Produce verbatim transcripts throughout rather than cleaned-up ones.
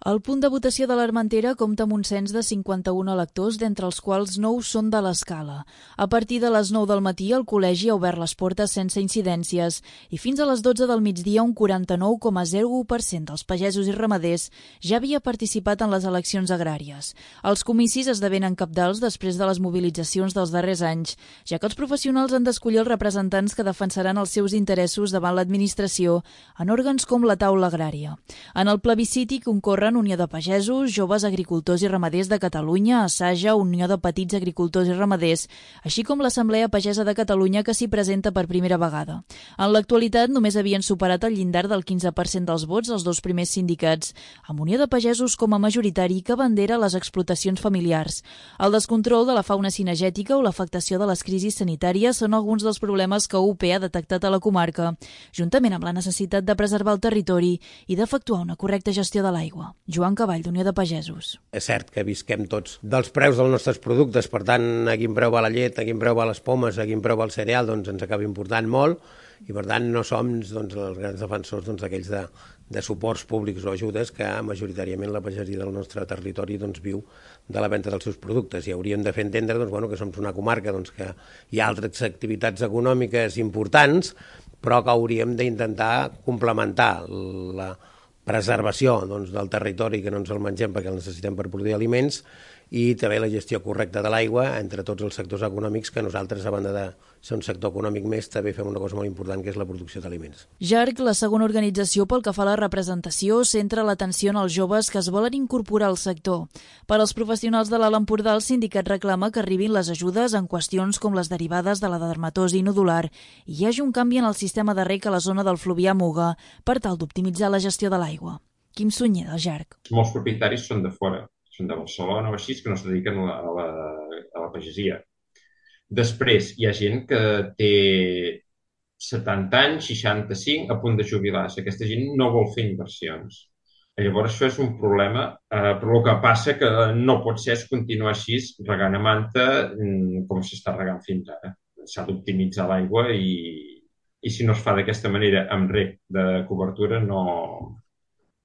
El punt de votació de l'Armentera compta amb un cens de cinquanta-un electors, d'entre els quals nou són de l'Escala. A partir de les nou del matí, el col·legi ha obert les portes sense incidències i fins a les dotze del migdia un quaranta-nou coma zero u per cent dels pagesos i ramaders ja havia participat en les eleccions agràries. Els comicis esdevenen cabdals després de les mobilitzacions dels darrers anys, ja que els professionals han d'escollir els representants que defensaran els seus interessos davant l'administració en òrgans com la taula agrària. En el plebisciti concorren Unió de Pagesos, Joves Agricultors i Ramaders de Catalunya, Assaja, Unió de Petits Agricultors i Ramaders, així com l'Assemblea Pagesa de Catalunya, que s'hi presenta per primera vegada. En l'actualitat només havien superat el llindar del quinze per cent dels vots els dos primers sindicats, amb Unió de Pagesos com a majoritari que bandera les explotacions familiars. El descontrol de la fauna cinegètica o l'afectació de les crisis sanitàries són alguns dels problemes que U P ha detectat a la comarca, juntament amb la necessitat de preservar el territori i d'efectuar una correcta gestió de l'aigua. Joan Cavall, d'Unió de Pagesos. És cert que visquem tots dels preus dels nostres productes, per tant, a quin preu va la llet, a quin preu va les pomes, a quin preu va el cereal, doncs ens acaba important molt i, per tant, no som doncs, els grans defensors doncs, aquells de, de suports públics o ajudes que majoritàriament la pagesia del nostre territori doncs, viu de la venda dels seus productes. I hauríem de fer entendre doncs, bueno, que som una comarca doncs, que hi ha altres activitats econòmiques importants, però que hauríem d'intentar complementar la preservació doncs, del territori, que no ens el mengem perquè el necessitem per produir aliments, i també la gestió correcta de l'aigua entre tots els sectors econòmics, que nosaltres, a banda de ser un sector econòmic més, també fem una cosa molt important, que és la producció d'aliments. JARC, la segona organització pel que fa a la representació, centra l'atenció en els joves que es volen incorporar al sector. Per als professionals de l'Alt Empordà, el sindicat reclama que arribin les ajudes en qüestions com les derivades de la dermatosi nodular i hi hagi un canvi en el sistema de reg a la zona del Fluvià Muga per tal d'optimitzar la gestió de l'aigua. Quim Sunyer, del JARC. Molts propietaris són de fora, són de Barcelona o així, que no es dediquen a la, a la, a la pagesia. Després, hi ha gent que té setanta anys, seixanta-cinc, a punt de jubilar-se. Aquesta gent no vol fer inversions. Llavors, això és un problema, eh, però el que passa que no pot ser és continuar així regant a manta com s'està regant fins ara. S'ha d'optimitzar l'aigua i, i si no es fa d'aquesta manera amb reg de cobertura no,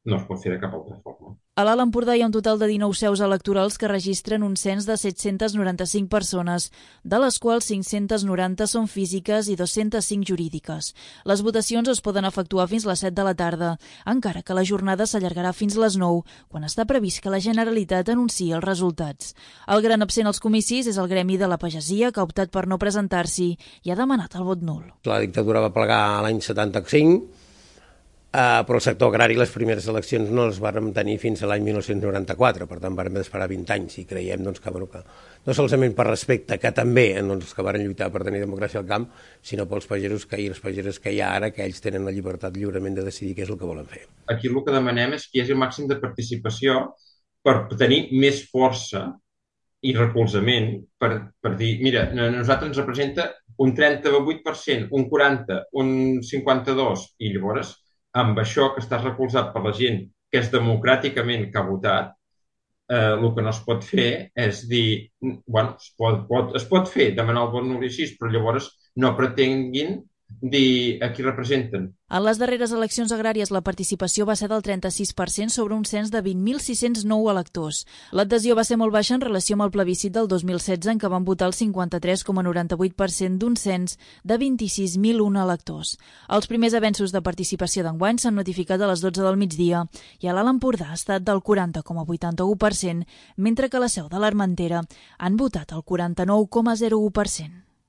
no es pot fer de cap altra forma. A l'Alt Empordà hi ha un total de dinou seus electorals que registren un cens de set-cents noranta-cinc persones, de les quals cinc-cents noranta són físiques i dos-cents cinc jurídiques. Les votacions es poden efectuar fins les set de la tarda, encara que la jornada s'allargarà fins les nou, quan està previst que la Generalitat anunciï els resultats. El gran absent als comicis és el gremi de la pagesia, que ha optat per no presentar-s'hi i ha demanat el vot nul. La dictadura va plegar l'any setanta-cinc, Uh, però el sector agrari les primeres eleccions no les vàrem tenir fins a l'any mil nou-cents noranta-quatre, per tant vàrem esperar vint anys i creiem doncs, que, bueno, que no solament per respecte, que també doncs, els que varen lluitar per tenir democràcia al camp, sinó pels pagesos que, i les pageres que hi ha ara, que ells tenen la llibertat lliurement de decidir què és el que volen fer. Aquí el que demanem és que hi hagi el màxim de participació per tenir més força i recolzament per, per dir, mira, a nosaltres ens representa un trenta-vuit per cent, un quaranta per cent, un cinquanta-dos per cent, i llavors amb això que estàs recolzat per la gent que és democràticament que ha votat, eh, el que no es pot fer és dir, bueno, es pot, pot, es pot fer, demanar el vot nul i així, però llavors no pretenguin dir a qui representen. En les darreres eleccions agràries la participació va ser del trenta-sis per cent sobre un cens de vint mil sis-cents nou electors. L'adhesió va ser molt baixa en relació amb el plebiscit del dos mil setze, en què van votar el cinquanta-tres coma noranta-vuit per cent d'un cens de vint-i-sis mil un electors. Els primers avenços de participació d'enguany s'han notificat a les dotze del migdia i a l'Alt Empordà ha estat del quaranta coma vuitanta-u per cent, mentre que a la seu de l'Armentera han votat el quaranta-nou coma zero u per cent.